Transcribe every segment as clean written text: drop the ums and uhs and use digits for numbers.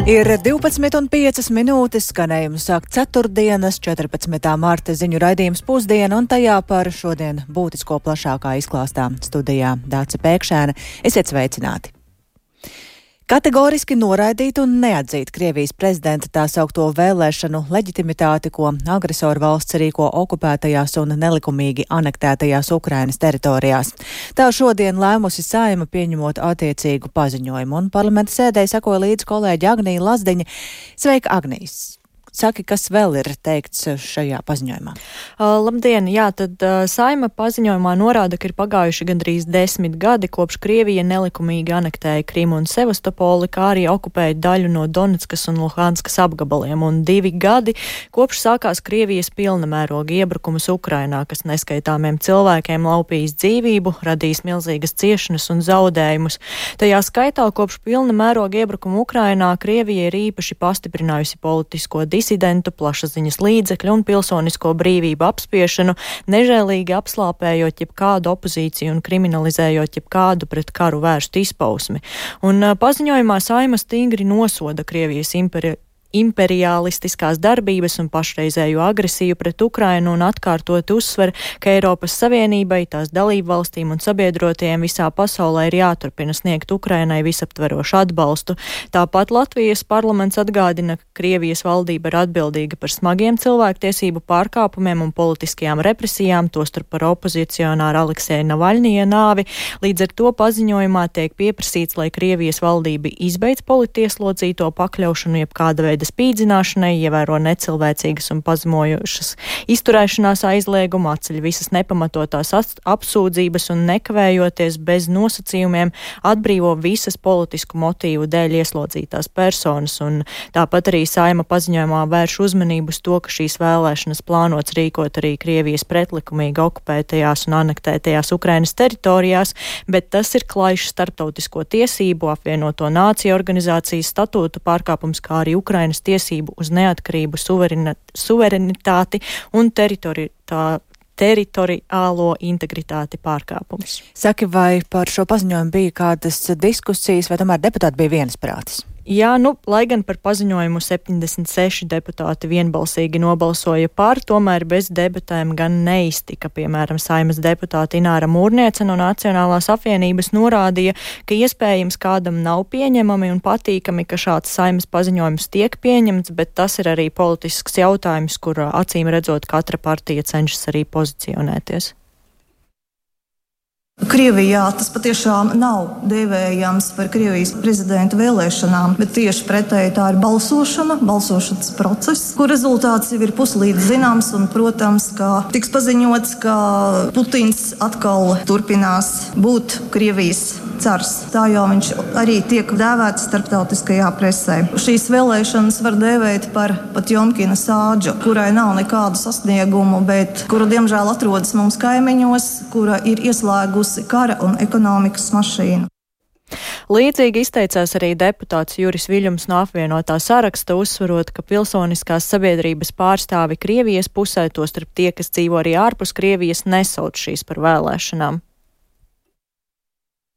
Ir 12,5 minūtes, skanējumu sāk ceturtdienas, 14. marta ziņu raidījums pusdiena, un tajā par šodien būtisko plašākā izklāstā studijā Dāce Pēkšēna. Esiet sveicināti! Kategoriski noraidīt un neatzīt Krievijas prezidenta tā saukto vēlēšanu leģitimitāti, ko agresoru valsts rīko okupētajās un nelikumīgi anektētajās Ukrainas teritorijās. Tā šodien lēmusi Saeima pieņemot attiecīgu paziņojumu, un parlamenta sēdē sekoja līdz kolēģi Agnija Lazdiņa. Sveika, Agnijas! Saki, kas vēl ir teikts šajā paziņojumā? Labdien! Jā, tad Saeima paziņojumā norāda, ka ir pagājuši gandrīz 10 gadi, kopš Krievija nelikumīgi anektēja Krimu un Sevastopoli, kā arī okupēja daļu no Donetskas un Luhanskas apgabaliem, un 2 gadi, kopš sākās Krievijas pilna mēroga iebrukums Ukrainā, kas neskaitāmiem cilvēkiem laupījis dzīvību, radījis milzīgas ciešanas un zaudējumus. Tajā skaitā, kopš pilna mēroga iebrukuma Ukrainā, Krievija ir īpaši pastiprinājusi politisko disidentu, plašsaziņas līdzekļu un pilsonisko brīvību apspiešanu, nežēlīgi apslāpējot jebkādu opozīciju un kriminalizējot jebkādu pret karu vērstu izpausmi. Un paziņojumā Saeima stingri nosoda Krievijas imperialistiskās darbības un pašreizējo agresiju pret Ukrainu un atkārtot uzsver, ka Eiropas Savienībai, tās dalību valstīm un sabiedrotajiem visā pasaulē ir jāturpina sniegt Ukrainai visaptverošu atbalstu. Tāpat Latvijas parlaments atgādina, ka Krievijas valdība ir atbildīga par smagiem cilvēktiesību pārkāpumiem un politiskajām represijām, tostarp par opozicionāru Alekseja Navaļņija nāvi. Līdz ar to paziņojumā tiek pieprasīts, lai Krievijas valdība izbeidz politieslodzīto pakļaušanu jebkāda veida spīdzināšanai, ievēro necilvēcīgas un pazemojošas izturēšanās aizliegumu, atceļ visas nepamatotās apsūdzības un nekavējoties bez nosacījumiem atbrīvo visas politisku motīvu dēļ ieslodzītās personas. Un tāpat arī Saeima paziņojumā vērš uzmanību uz to, ka šīs vēlēšanas plānots rīkot arī Krievijas pretlikumīgi okupētajās un anektētajās Ukrainas teritorijās, bet tas ir klajšs starptautisko tiesību, apvienoto nāciju organizācijas statūtu pārkāpums, kā arī Ukrainas tiesību uz neatkarību, suverenitāti un teritoriālo integritāti pārkāpums. Saki, vai par šo paziņojumu bija kādas diskusijas, vai tomēr deputāti bija viensprātis? Jā, lai gan par paziņojumu 76 deputāti vienbalsīgi nobalsoja par, tomēr bez debatēm gan neiztika. Piemēram, Saeimas deputāte Ināra Mūrniece no Nacionālās apvienības norādīja, ka iespējams kādam nav pieņemami un patīkami, ka šāds Saeimas paziņojums tiek pieņemts, bet tas ir arī politisks jautājums, kur acīm redzot katra partija cenšas arī pozicionēties. Krievijā tas patiešām nav dēvējams par Krievijas prezidenta vēlēšanām, bet tieši pretēji tā ir balsošanas process, kur rezultāts jau ir puslīdz zināms, un, protams, ka tiks paziņots, ka Putins atkal turpinās būt Krievijas cars. Tā jau viņš arī tiek dēvēts starptautiskajā presē. Šīs vēlēšanas var dēvēt par Potjomkina sādžu, kurai nav nekādu sasniegumu, bet kura diemžēl atrodas mums kaimiņos, kura ir ieslēgusi kara un ekonomikas mašīnu. Līdzīgi izteicās arī deputāts Juris Viļņums no apvienotā saraksta, uzsverot, ka pilsoniskās sabiedrības pārstāvi Krievijas pusē, tostarp tie, kas dzīvo arī ārpus Krievijas, nesauc šīs par vēlēšanām.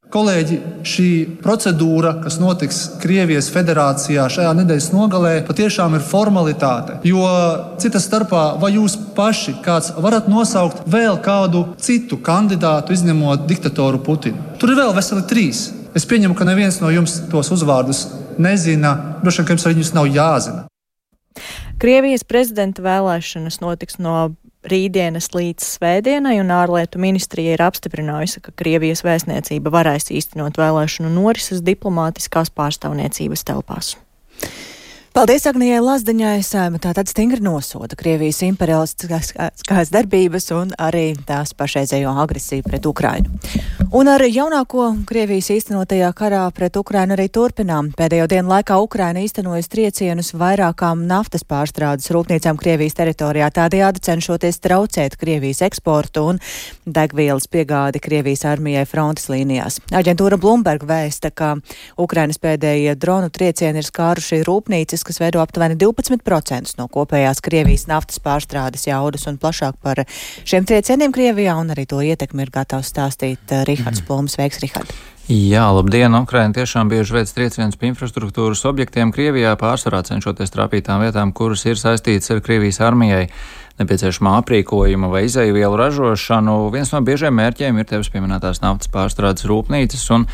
Kolēģi, šī procedūra, kas notiks Krievijas federācijā šajā nedēļas nogalē, patiešām ir formalitāte. Jo cita starpā, vai jūs paši kāds varat nosaukt vēl kādu citu kandidātu, izņemot diktatoru Putinu? Tur ir vēl veseli 3. Es pieņemu, ka neviens no jums tos uzvārdus nezina, droši vien, ka jums arī viņus nav jāzina. Krievijas prezidenta vēlēšanas notiks no rītdienas līdz svētdienai, un ārlietu ministrija ir apstiprinājusi, ka Krievijas vēstniecība varēs īstenot vēlēšanu norises diplomātiskās pārstāvniecības telpās. Paldies Agnijai Lazdiņai. Saeima tātad stingri nosoda Krievijas imperialistiskās darbības un arī tās pašreizējo agresiju pret Ukrainu. Un ar jaunāko Krievijas īstenotajā karā pret Ukrainu arī turpinām. Pēdējo dienu laikā Ukraina īstenojas triecienus vairākām naftas pārstrādes rūpnīcām Krievijas teritorijā, tādējādi cenšoties traucēt Krievijas eksportu un degvielas piegādi Krievijas armijai frontes līnijās. Aģentūra Bloomberg vēsta, ka Ukrainas pēdējie dronu triecieni ir skāruši rūpnīcas, kas veido aptuveni 12% no kopējās Krievijas naftas pārstrādes jaudas, un plašāk par šiem triecieniem Krievijā un arī to ietekmi ir gatavs stāstīt Rihards Plūms. Sveiks, Rihard! Jā, labdien! Ukraina tiešām bieži veic triecienus pie infrastruktūras objektiem Krievijā, pārsvarā cenšoties trāpīt tām vietām, kuras ir saistītas ar Krievijas armijai nepieciešamā aprīkojuma vai izējuvielu ražošanu. Viens no biežiem mērķiem ir tevis pieminētās naftas pārstrādes rūpnīcas, un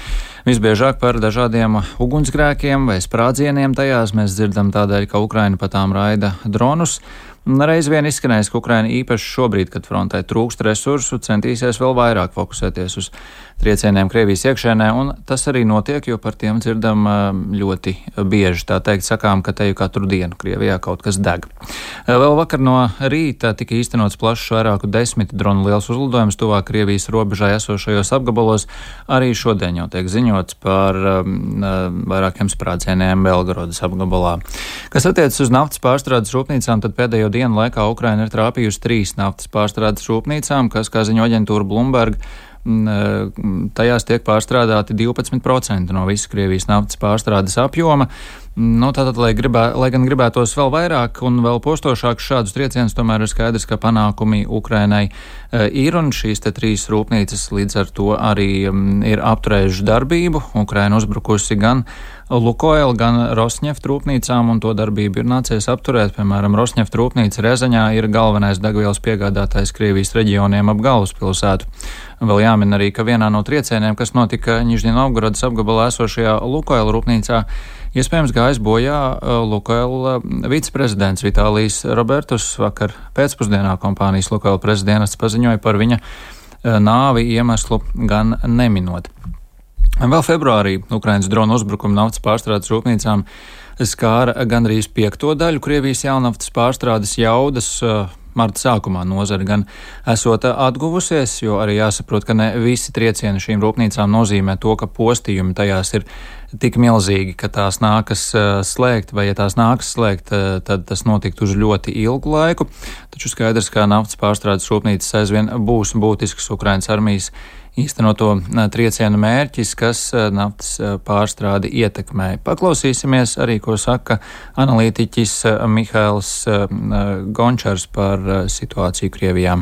visbiežāk par dažādiem ugunsgrēkiem vai sprādzieniem tajās mēs dzirdam tādēļ, ka Ukraina pa tām raida dronus. Reiz vien izskanējis, ka Ukraina īpaši šobrīd, kad frontē trūkst resursu, centīsies vēl vairāk fokusēties uz triecieniem Krievijas iekšēnē, un tas arī notiek, jo par tiem dzirdam ļoti bieži. Tā teikt, sakām, ka teju katru dienu Krievijā kaut kas deg. Vēl vakar no rīta tika īstenots plašs vairāku 10 dronu liels uzlidojums tuvāk Krievijas robežai esošajos apgabalos. Arī šodien jau tiek ziņots par vairākiem sprādzieniem Belgorodas apgabalā. Kas attiecas uz naftas pārstrādes rūpnīcām, tad pēdējo dienu laikā Ukraina ir trāpījusi 3 naftas pārstrādes rūpnīcām, kas, kā ziņo aģentūra Bloomberg, tajās tiek pārstrādāti 12% no visas Krievijas naftas pārstrādes apjoma. Tātad, lai gan gribētos vēl vairāk un vēl postošāk šādus triecienus, tomēr ir skaidrs, ka panākumi Ukrainai ir, un šīs 3 rūpnīcas līdz ar to arī ir apturējušas darbību. Ukraina uzbrukusi gan Lukoil, gan Rosneft rūpnīcām, un to darbību ir nācies apturēt. Piemēram, Rosneft rūpnīca Rezaņā ir galvenais degvielas piegādātājs Krievijas reģioniem ap galvaspilsētu. Vēl jāmin arī, ka vienā no triecieniem, kas notika Nižņinovgorodas apgabalā esošajā Lukoil rūpnīcā, iespējams gājis bojā Lukoil viceprezidents Vitālijs Robertus. Vakar pēcpusdienā kompānijas Lukoil prezidents paziņoja par viņa nāvi, iemeslu gan neminot. Vēl februārī Ukrainas dronu uzbrukuma naftas pārstrādes rūpnīcām skāra gandrīz 5. daļu Krievijas jaunaftas pārstrādes jaudas. Marta sākumā nozara gan esot atguvusies, jo arī jāsaprot, ka ne visi triecieni šīm rūpnīcām nozīmē to, ka postījumi tajās ir tik milzīgi, ka tās nākas slēgt, vai ja tās nākas slēgt, tad tas notiktu uz ļoti ilgu laiku. Taču skaidrs, ka naftas pārstrādes rūpnīcas aizvien būs būtisks Ukrainas armijas īstenoto triecienu mērķis, kas naftas pārstrādi ietekmē. Paklausīsimies arī, ko saka analītiķis Mihails Gončars par situāciju Krievijā.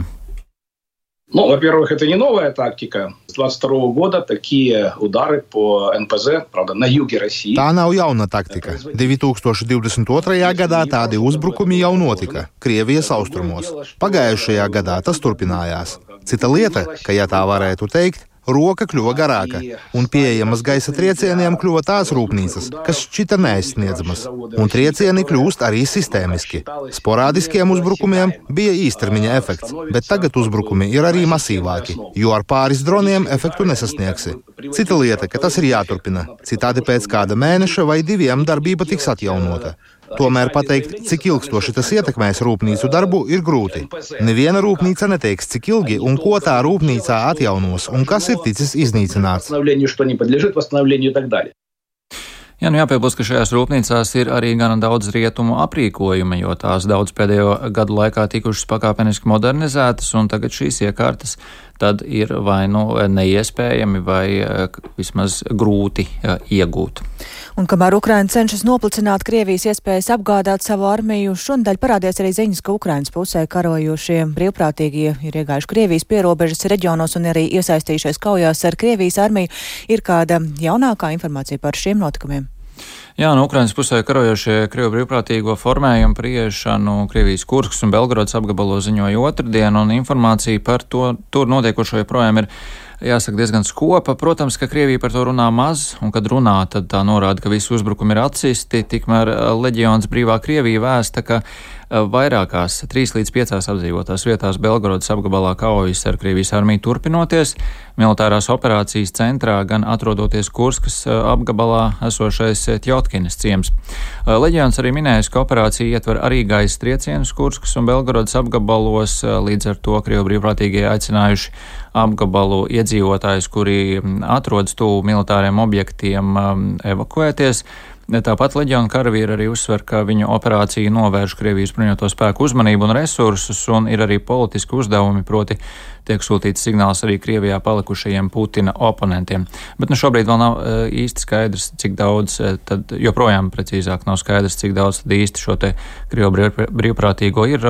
Во-первых, это не новая тактика. С 22 года такие удары по НПЗ, правда, на юге России. Tā nav jauna taktika. 2022. gadā tādi uzbrukumi jau notika Krievijas austrumos. Pagājušajā gadā tas turpinājās. Cita lieta, ka, ja tā varētu teikt, roka kļuva garāka, un pieejamas gaisa triecieniem kļuva tās rūpnīcas, kas šķita neaizsniedzamas, un triecieni kļūst arī sistēmiski. Sporādiskiem uzbrukumiem bija īstermiņa efekts, bet tagad uzbrukumi ir arī masīvāki, jo ar pāris droniem efektu nesasniegsi. Cita lieta, ka tas ir jāturpina, citādi pēc kāda mēneša vai 2 darbība tiks atjaunota. Tomēr pateikt, cik ilgstoši tas ietekmēs rūpnīcu darbu, ir grūti. Neviena rūpnīca neteiks, cik ilgi un ko tā rūpnīcā atjaunos un kas ir ticis iznīcināts. Jāpiebilst, ka šajās rūpnīcās ir arī gana daudz rietumu aprīkojuma, jo tās daudz pēdējo gadu laikā tikušas pakāpeniski modernizētas, un tagad šīs iekārtas tad ir vai neiespējami vai vismaz grūti iegūt. Un kamēr Ukraina cenšas noplicināt Krievijas iespējas apgādāt savu armiju, šonadēļ parādījās arī ziņas, ka Ukrainas pusē karojošie brīvprātīgie ir iegājuši Krievijas pierobežas reģionos un arī iesaistījušies kaujās ar Krievijas armiju. Ir kāda jaunākā informācija par šiem notikumiem? Jā, no Ukrainas pusē karojošie Krievu brīvprātīgo formējumu priešanu Krievijas Kurskas un Belgorodas apgabalos ziņoja otrdien, un informācija par to tur notiekošo joprojām ir, jāsaka, diezgan skopa. Protams, ka Krievija par to runā maz, un kad runā, tad tā norāda, ka visi uzbrukumi ir atsisti. Tikmēr leģions Brīvā Krievija vēsta, ka vairākās 3 līdz 5 apdzīvotās vietās Belgorodas apgabalā kaujas ar Krievijas armiju turpinoties. Militārās operācijas centrā gan atrodoties Kurskas apgabalā esošais Tjotkinas ciems. Leģions arī minējis, ka operācija ietver arī gaisa triecienus Kurskas un Belgorodas apgabalos, līdz ar to Krievu brīvprātīgie aicinājuši apgabalu iedzīvotājus, kuri atrodas tuvu militāriem objektiem, evakuēties. Tāpat leģiona karavīri arī uzsver, ka viņu operācija novērš Krievijas bruņoto spēku uzmanību un resursus, un ir arī politiski uzdevumi, proti tiek sūtīts signāls arī Krievijā palikušajiem Putina oponentiem. Bet šobrīd vēl nav īsti skaidrs, cik daudz, tad joprojām precīzāk nav skaidrs, cik daudz tad īsti šo te Krievu brīvprātīgo ir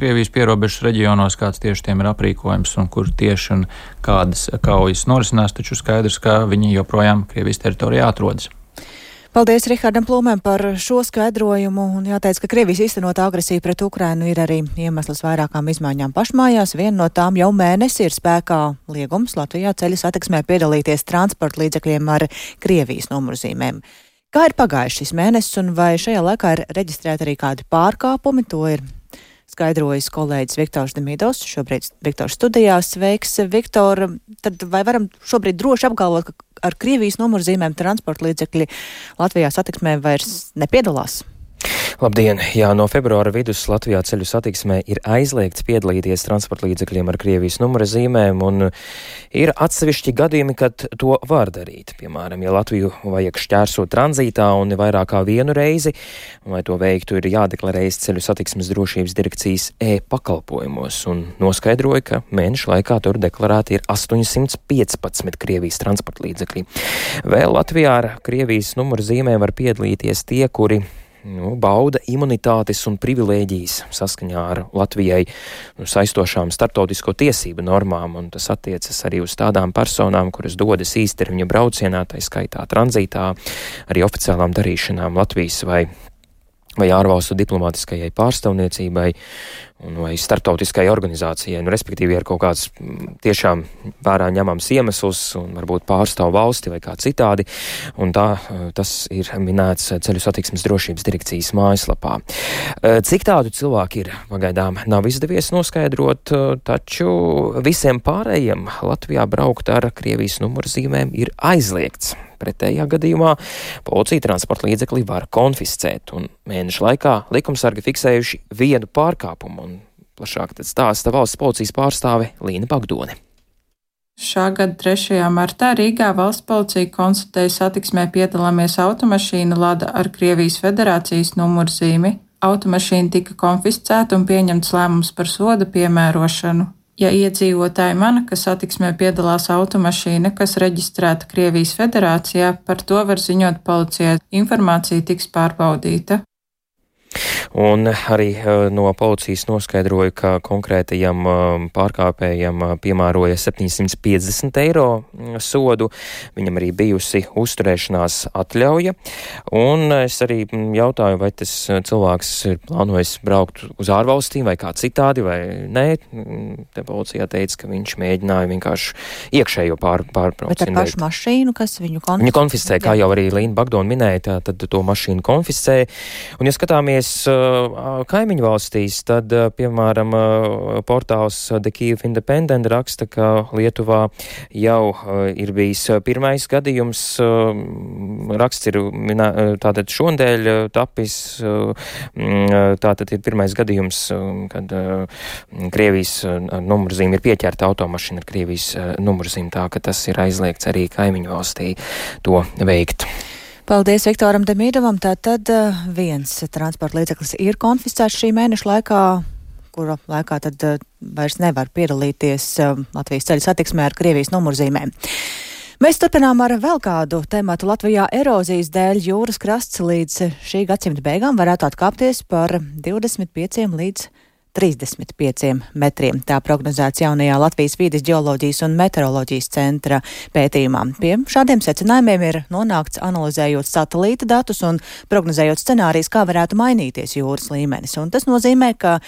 Krievijas pierobežas reģionos, kāds tieši tiem ir aprīkojums un kur tieši un kādas kaujas norisinās, taču skaidrs, ka viņi joprojām Krievijas teritorijā atrodas. Paldies Rihardam Plūmēm par šo skaidrojumu, un jāteic, ka Krievijas īstenotā agresija pret Ukrainu ir arī iemesls vairākām izmaiņām pašmājās. Viena no tām jau mēnesi ir spēkā liegums Latvijā ceļu satiksmē piedalīties transporta līdzekļiem ar Krievijas numurzīmēm. Kā ir pagājis šis mēnesis, un vai šajā laikā ir reģistrēti arī kādi pārkāpumi? To ir skaidrojis kolēģis Viktors Demidovs, šobrīd Viktors studijās. Sveiks, Viktor! Tad vai varam šobrīd droši apgalvot, ka ar Krievijas numurzīmēm transporta līdzekļi Latvijā satiksmē vairs nepiedalās? Labdien! Jā, no februāra vidus Latvijā ceļu satiksmē ir aizliegts piedalīties transporta līdzekļiem ar Krievijas numura zīmēm, un ir atsevišķi gadījumi, kad to var darīt. Piemēram, ja Latviju vajag šķērsot tranzītā un vairāk kā vienu reizi, un lai to veiktu, ir jādeklarējas ceļu satiksmes drošības direkcijas e-pakalpojumos, un noskaidroja, ka mēneša laikā tur deklarēti ir 815 Krievijas transporta līdzekļi. Vēl Latvijā ar Krievijas numura zīmēm var piedalīties tie, kuri bauda imunitātes un privilēģijas saskaņā ar Latvijai saistošām starptautisko tiesību normām, un tas attiecas arī uz tādām personām, kuras dodas īstermiņa braucienā, tai skaitā tranzītā, arī oficiālām darīšanām Latvijas vai ārvalstu diplomātiskajai pārstāvniecībai vai starptautiskai organizācijai, respektīvi ar kaut kāds tiešām vērā ņemams iemesls un varbūt pārstāv valsti vai kā citādi, un tas ir minēts ceļu satiksmes drošības direkcijas mājaslapā. Cik tādu cilvēku ir, pagaidām nav izdevies noskaidrot, taču visiem pārējiem Latvijā braukt ar Krievijas numurzīmēm ir aizliegts. Pretējā gadījumā policija transporta līdzekli var konfiscēt, un mēneša laikā likumsargi fiksējuši vienu pārkāpumu, un plašāk tad stāsta valsts policijas pārstāve Līna Bagdone. Šā gada 3. martā Rīgā valsts policija konstatēja satiksmē piedalāmies automašīnu Lada ar Krievijas federācijas numurzīmi. Automašīna tika konfiscēta un pieņemts lēmums par soda piemērošanu. Ja iedzīvotāji mana, ka satiksmē piedalās automašīna, kas reģistrēta Krievijas federācijā, par to var ziņot policijai. Informācija tiks pārbaudīta. Un arī no policijas noskaidroja, ka konkrētajam pārkāpējam piemēroja 750 eiro sodu. Viņam arī bijusi uzturēšanās atļauja. Un es arī jautāju, vai tas cilvēks ir plānojis braukt uz ārvalstīm vai kā citādi, vai nē. Te policijā teica, ka viņš mēģināja vienkārši iekšējo pārbraucienu. Bet ar pašu mašīnu, kas viņu konfiscē? Viņu konfiscē, kā jau arī Līna Bagdone minēja, tad to mašīnu konfiscē. Un ja skatāmies kaimiņu valstīs, tad, piemēram, portāls The Kyiv Independent raksta, ka Lietuvā jau ir bijis pirmais gadījums. Raksts ir tātad šodien tapis, tātad ir pirmais gadījums, kad Krievijas numurzīme ir pieķerta automašīna ar Krievijas numurzīm, tā ka tas ir aizliegts arī kaimiņu valstī to veikt. Paldies Viktoram Demidovam. Tātad viens transporta līdzeklis ir konfiscēts šī mēneša laikā, kura laikā tad vairs nevar piedalīties Latvijas ceļu satiksmē ar Krievijas numurzīmēm. Mēs turpinām ar vēl kādu tematu. Latvijā erozijas dēļ jūras krasts līdz šī gadsimta beigām varētu atkāpties par 25 līdz 35 metriem. Tā prognozēts jaunajā Latvijas vīdes ģeoloģijas un meteoroloģijas centra pētījumā. Pie šādiem secinājumiem ir nonākts analizējot satelīta datus un prognozējot scenārijas, kā varētu mainīties jūras līmenis. Un tas nozīmē, ka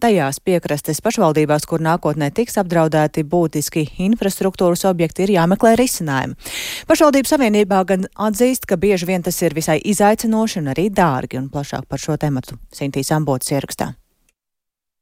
tajās piekrastes pašvaldībās, kur nākotnē tiks apdraudēti būtiski infrastruktūras objekti, ir jāmeklē risinājumi. Pašvaldību savienībā gan atzīst, ka bieži vien tas ir visai izaicinoši un arī dārgi, un plašāk par šo tematu Sintīs Ambotas ierakstā.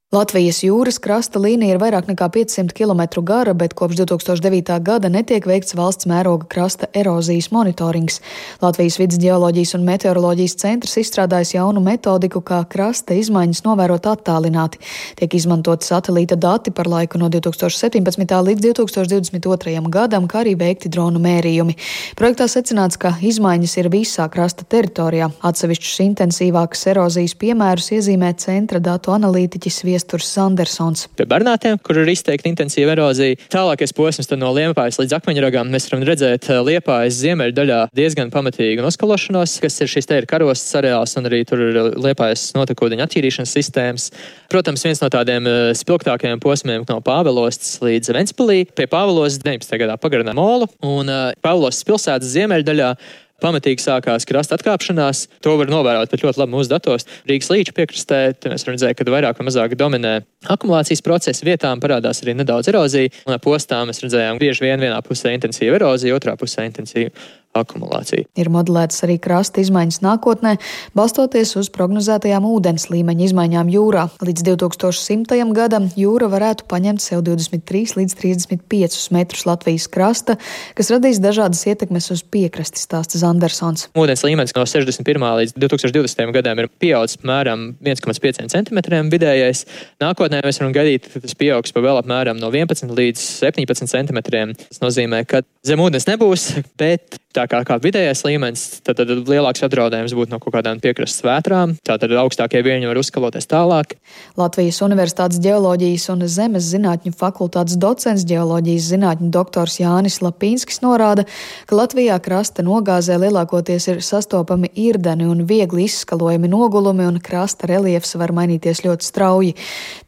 Latvijas jūras krasta līnija ir vairāk nekā 500 km gara, bet kopš 2009. gada netiek veikts valsts mēroga krasta erozijas monitorings. Latvijas vides ģeoloģijas un meteoroloģijas centrs izstrādājis jaunu metodiku, kā krasta izmaiņas novērot attālināti. Tiek izmantot satelīta dati par laiku no 2017. līdz 2022. gadam, kā arī veikti dronu mērījumi. Projektā secināts, ka izmaiņas ir visā krasta teritorijā. Atsevišķus intensīvākas erozijas piemērus iezīmē centra datu analītiķis Viesturs Sandersons. Pie Bernātiem, kur ir izteikti intensīva erozija, tālākais posms no Liepājas līdz Akmeņragām, mēs varam redzēt Liepājas ziemeļdaļā diezgan pamatīgu noskalošanos, kas ir šis te ir karostas areāls un arī tur ir Liepājas notekūdeņu attīrīšanas sistēmas. Protams, viens no tādiem spilgtākajiem posmiem no Pāvilostas līdz Ventspilī. Pie Pāvilostas 19. gadā pagarināja molu un Pāvilostas pilsētas ziemeļdaļā pamatīgi sākās krasta atkāpšanās. To var novērot pat ļoti labi mūsu datos. Rīgas līča piekrastē, mēs redzējām, ka vairāk vai mazāk dominē akumulācijas procesi, vietām parādās arī nedaudz erozija, un ap ostām mēs redzējām bieži vien vienā pusē intensīva erozija, otrā pusē intensīva akumulācija. Ir modelētas arī krasta izmaiņas nākotnē, balstoties uz prognozētajām ūdens līmeņa izmaiņām jūrā. Līdz 2100. gadam jūra varētu paņemt sev 23 līdz 35 metrus Latvijas krasta, kas radīs dažādas ietekmes uz piekrasti, stāsta Zandersons. Ūdens līmenis no 61. līdz 2020. gadam ir pieaudzis apmēram 1,5 centimetriem vidējais. Nākotnē mēs varam gaidīt, ka tas pieaugs pa vēl apmēram no 11 līdz 17 centimetriem. Tas nozīmē, ka zem ūdens nebūs, bet tā kā vidējais līmenis, tad lielāks apdraudējums būtu no kaut kādām piekrastes vētrām, tātad augstākie viļņi var uzskaloties tālāk. Latvijas Universitātes ģeoloģijas un zemes zinātņu fakultātes docents ģeoloģijas zinātņu doktors Jānis Lapīnskis norāda, ka Latvijā krasta nogāzē lielākoties ir sastopami irdeni un viegli izskalojami nogulumi un krasta reliefs var mainīties ļoti strauji.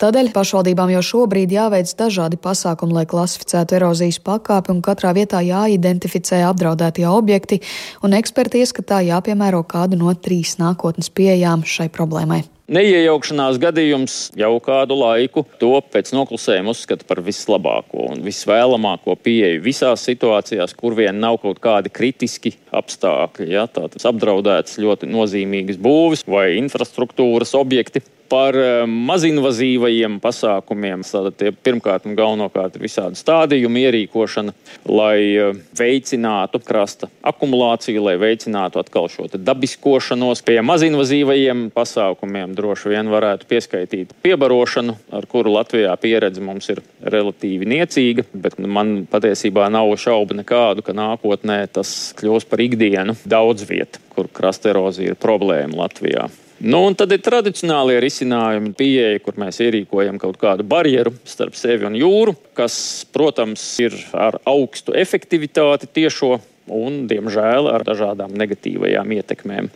Tādēļ pašvaldībām jau šobrīd jāveic dažādi pasākumi, lai klasificētu erozijas pakāpi un katrā vietā jāidentificē apdraudētie objekti, un eksperti ieskatā jāpiemēro kādu no 3 nākotnes pieejām šai problēmai. Neiejaukšanās gadījums jau kādu laiku to pēc noklusējuma uzskata par vislabāko un visvēlamāko pieeju visās situācijās, kur vien nav kaut kādi kritiski apstākļi. Ja, tātad apdraudētas ļoti nozīmīgas būvis vai infrastruktūras objekti. Par mazinvazīvajiem pasākumiem. Tātad pirmkārt un galvenokārt ir visādi stādījumi ierīkošana, lai veicinātu krasta akumulāciju, lai veicinātu atkal šo dabiskošanos. Pie mazinvazīvajiem pasākumiem droši vien varētu pieskaitīt piebarošanu, ar kuru Latvijā pieredze mums ir relatīvi niecīga, bet man patiesībā nav šaubu nekādu, ka nākotnē tas kļūs par ikdienu daudz vieta, kur krasta erozija ir problēma Latvijā. Un tad ir tradicionālie risinājumi, pieeja, kur mēs ierīkojam kaut kādu barjeru starp sevi un jūru, kas, protams, ir ar augstu efektivitāti tiešo un, diemžēl, ar dažādām negatīvajām ietekmēm.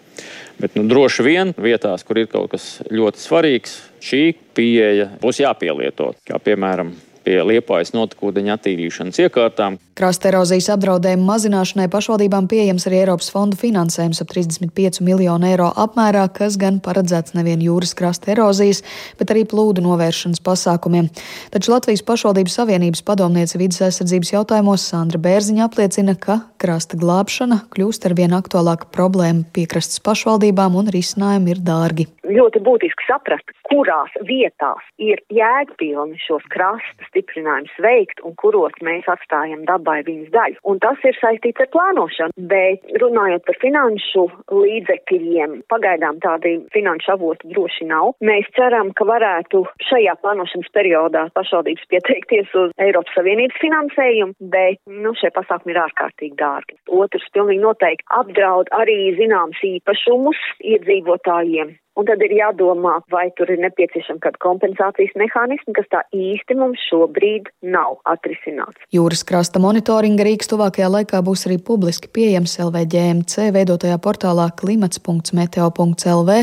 Bet droši vien vietās, kur ir kaut kas ļoti svarīgs, šī pieeja būs jāpielieto, kā piemēram pie Liepājas notekūdeņu attīrīšanas iekārtām. Krasta erozijas apdraudējumu mazināšanai pašvaldībām pieejams arī Eiropas fondu finansējums ap 35 miljonu eiro apmērā, kas gan paredzēts nevien jūras krasta erozijas, bet arī plūdu novēršanas pasākumiem. Taču Latvijas pašvaldību savienības padomniece vides aizsardzības jautājumos Sandra Bērziņa apliecina, ka krasta glābšana kļūst ar vien aktuālāka problēma piekrastes pašvaldībām un risinājumi ir dārgi. Ļoti būtiski saprast, kurās vietās ir jēgpilni šos krasta stiprinājumus veikt un kuros mēs atstājam dabai viņas daļu. Un tas ir saistīts ar plānošanu, bet runājot par finanšu līdzekļiem, pagaidām tādi finanšu avoti droši nav. Mēs ceram, ka varētu šajā plānošanas periodā pašvaldības pieteikties uz Eiropas Savienības finansējumu, bet šie pasākumi ir ārkārtīgi dārgi. Otrs pilnīgi noteikti apdraud arī zināms īpašumus iedzīvotājiem. Un tad ir jādomā, vai tur ir nepieciešama kāda kompensācijas mehānismi, kas tā īsti mums šobrīd nav atrisināts. Jūras krasta monitoringa rīks tuvākajā laikā būs arī publiski pieejams LVģMC veidotajā portālā klimats.meteo.lv,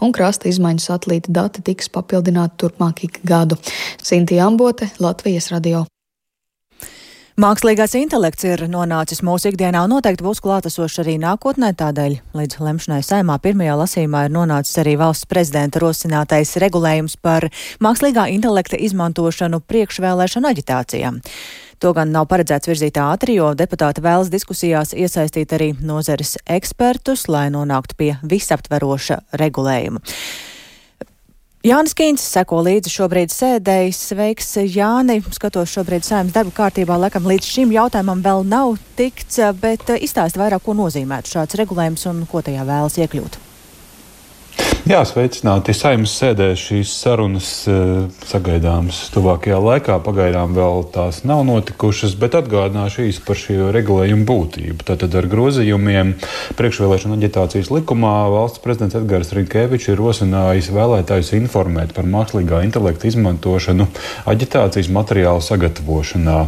un krasta izmaiņu satelīta dati tiks papildināti turpmāk ik gadu. Sintija Ambote, Latvijas radio. Mākslīgais intelekts ir nonācis mūsu ikdienā un noteikti būs klātesošs arī nākotnē, tādēļ līdz lemšanai Saeimā pirmajā lasījumā ir nonācis arī valsts prezidenta rosinātais regulējums par mākslīgā intelekta izmantošanu priekšvēlēšanu aģitācijām. To gan nav paredzēts virzīt ātri, jo deputāti vēlas diskusijās iesaistīt arī nozares ekspertus, lai nonāktu pie visaptveroša regulējuma. Jānis Kīns seko līdzi šobrīd sēdēji. Sveiks, Jāni. Skatos šobrīd Saeimas darba kārtībā. Laikam līdz šim jautājumam vēl nav tikts, bet izstāsti vairāk, ko nozīmētu šāds regulējums un ko tajā vēlas iekļūt. Jā, sveicināti. Saeimas sēdē šīs sarunas sagaidāmas tuvākajā laikā. Pagaidām vēl tās nav notikušas, bet atgādināšu īsi par šī regulējumu būtību. Tātad ar grozījumiem priekšvēlēšana aģitācijas likumā valsts prezidents Edgars Rinkēvičs ir rosinājis vēlētājus informēt par mākslīgā intelekta izmantošanu aģitācijas materiālu sagatavošanā.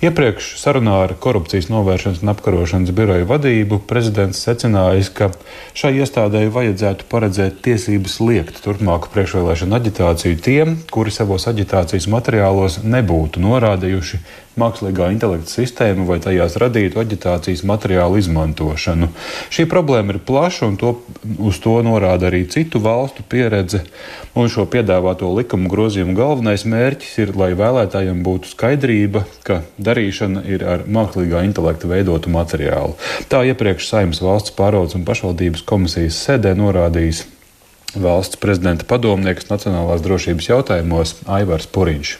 Iepriekš sarunā ar Korupcijas novēršanas un apkarošanas biroju vadību prezidents secinājis, ka šai iestādēji vajadzētu paredzēt tiesības liekt turpmāku priekšvēlēšanu aģitāciju tiem, kuri savos aģitācijas materiālos nebūtu norādījuši mākslīgā intelekta sistēmu vai tajās radītu aģitācijas materiālu izmantošanu. Šī problēma ir plaša un uz to norāda arī citu valstu pieredze, un šo piedāvāto likumu grozījumu galvenais mērķis ir, lai vēlētājiem būtu skaidrība, ka darīšana ir ar mākslīgā intelekta veidotu materiālu. Tā iepriekš Saeimas valsts pārvaldes un pašvaldības komisijas sēdē norādījis valsts prezidenta padomnieks nacionālās drošības jautājumos Aivars Puriņš.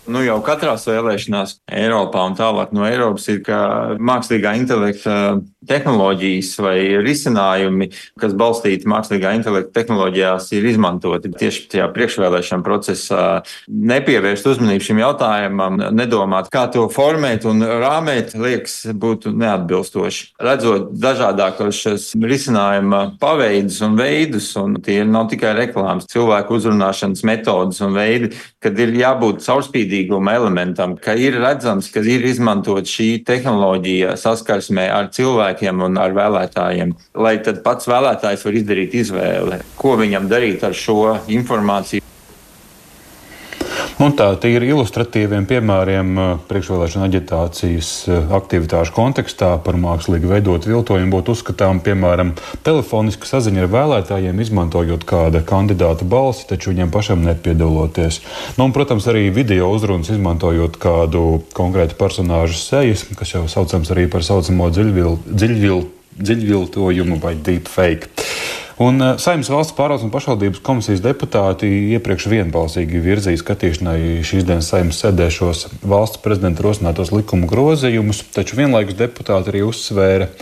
Jau katrās vēlēšanās Eiropā un tālāk no Eiropas ir, ka mākslīgā intelekta tehnoloģijas vai risinājumi, kas balstīti mākslīgā intelekta tehnoloģijās, ir izmantoti tieši tajā priekšvēlēšana procesā. Nepievērst uzmanību šim jautājumam, nedomāt, kā to formēt un rāmēt, liekas, būtu neatbilstoši. Redzot dažādākos šos risinājuma paveidus un veidus, un tie nav tikai reklāmas, cilvēku uzrunāšanas metodas un veidi, kad ir jābūt caurspīdīguma elementam, ka ir redzams, ka ir izmantot šī tehnoloģija saskarsmē ar cilvēkiem un ar vēlētājiem, lai tad pats vēlētājs var izdarīt izvēli, ko viņam darīt ar šo informāciju. Un tā ir ilustratīviem piemēriem priekšvēlēšana aģitācijas aktivitāšu kontekstā par mākslīgi veidotu viltojumu būtu uzskatām, piemēram, telefoniska saziņa ar vēlētājiem, izmantojot kāda kandidāta balsi, taču viņam pašam nepiedaloties. Un, protams, arī video uzrunas izmantojot kādu konkrētu personāžu sejas, kas jau saucams arī par saucamo dziļviltojumu vai deepfake. Un Saeimas valsts pārvaldes un pašvaldības komisijas deputāti iepriekš vienbalsīgi virzīja skatīšanai šīs dienas Saeimas sēdē šos valsts prezidenta rosinātos likumu grozījumus, taču vienlaikus deputāti arī uzsvēra,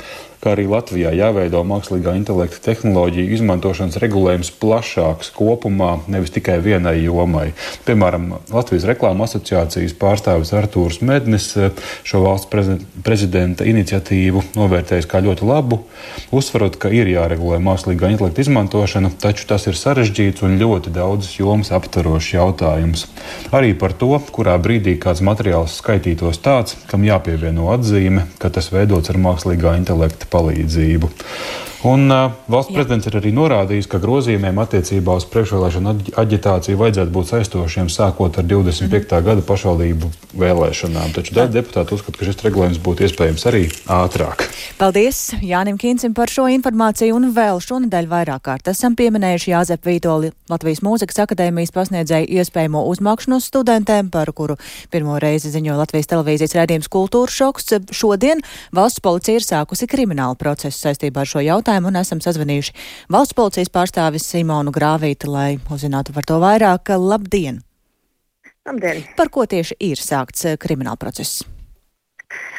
ka arī Latvijā jāveido mākslīgā intelekta tehnoloģiju izmantošanas regulējums plašāks kopumā, nevis tikai vienai jomai. Piemēram, Latvijas reklāma asociācijas pārstāvis Artūrs Mednis šo valsts prezidenta iniciatīvu novērtējis kā ļoti labu, uzsverot, ka ir jāregulē mākslīgā intelekta izmantošana, taču tas ir sarežģīts un ļoti daudzas jomas aptverošs jautājums. Arī par to, kurā brīdī kāds materiāls skaitītos tāds, kam jāpievieno atzīme, ka tas veidots ar mākslīgā intelekta palīdzību. Un valsts prezidents ir arī norādījis, ka grozījumiem attiecībā uz priekšvēlēšanu aģitāciju vajadzētu būt saistošiem sākot ar 25. gada pašvaldību vēlēšanām. Taču daži deputāti uzskata, ka šis regulējums būtu iespējams arī ātrāk. Paldies Jānim Kīncim par šo informāciju, un vēl šonedēļ vairāk kārt esam pieminējuši Jāzepu Vītoli, Latvijas Mūzikas akadēmijas pasniedzēju iespējamo uzmākšanos studentēm, par kuru pirmo reizi ziņo Latvijas televīzijas raidījums Kultūras šoks. Šodien valsts policija ir sākusi kriminālu procesu saistībā ar šo jautājumu, un esam sazvanījuši valsts policijas pārstāvis Simonu Grāvīti, lai uzzinātu par to vairāk. Labdien! Labdien! Par ko tieši ir sākts krimināla process?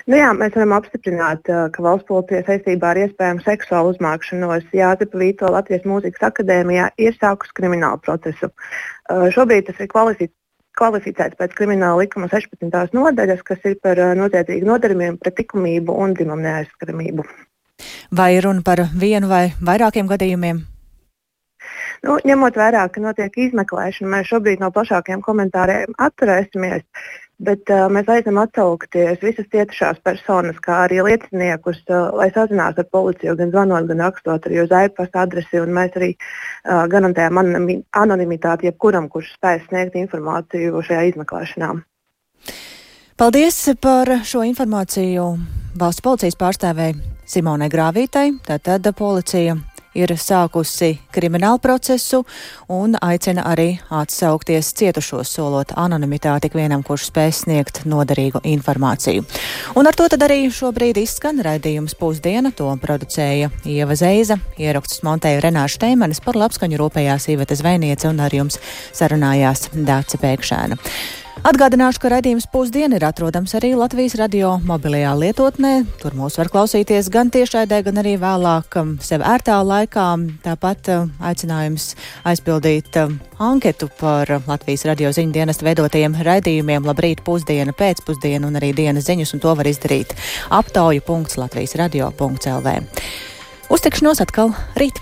Mēs varam apstiprināt, ka valsts policija saistībā ar iespējamu seksuālu uzmākšanos Jāzepa Vītola Latvijas Mūzikas akadēmijā ir sākusi kriminālu procesu. Šobrīd tas ir kvalificēts pēc krimināla likuma 16. nodaļas, kas ir par noziedzīgu nodarījumiem pret likumību un dzimumu neaizskaramību. Vai runa par vienu vai vairākiem gadījumiem? Ņemot vērā, ka notiek izmeklēšana, mēs šobrīd no plašākiem komentāriem atturēsimies, bet mēs aicinām atsaukties visas cietušās personas, kā arī lieciniekus, lai sazinās ar policiju, gan zvanot, gan rakstot arī uz e-pasta adresi, un mēs arī garantējam anonimitāti jebkuram, kurš spēj sniegt informāciju šajā izmeklēšanā. Paldies par šo informāciju valsts policijas pārstāvēji Simonai Grāvītai. Tātad policija ir sākusi kriminālu procesu un aicina arī atsaukties cietušos, solot anonimitāti ikvienam, kurš spēs sniegt noderīgu informāciju. Un ar to tad arī šobrīd izskan raidījums Pusdiena. To producēja Ieva Zeiza, ierakstus montēja Renāša Teimanis, par labskaņu rūpējās Iveta Zvejniece un ar jums sarunājās Dāce Pēkšēna. Atgādināšu, ka raidījums Pusdiena ir atrodams arī Latvijas radio mobilajā lietotnē. Tur mūs var klausīties gan tiešraidē, gan arī vēlāk sev ērtā laikā. Tāpat aicinājums aizpildīt anketu par Latvijas radio ziņu dienesta veidotajiem raidījumiem Labrīt, Pusdiena, Pēcpusdiena un arī dienas ziņas, un to var izdarīt aptauju.latvijasradio.lv. Uztikšanos atkal rīt!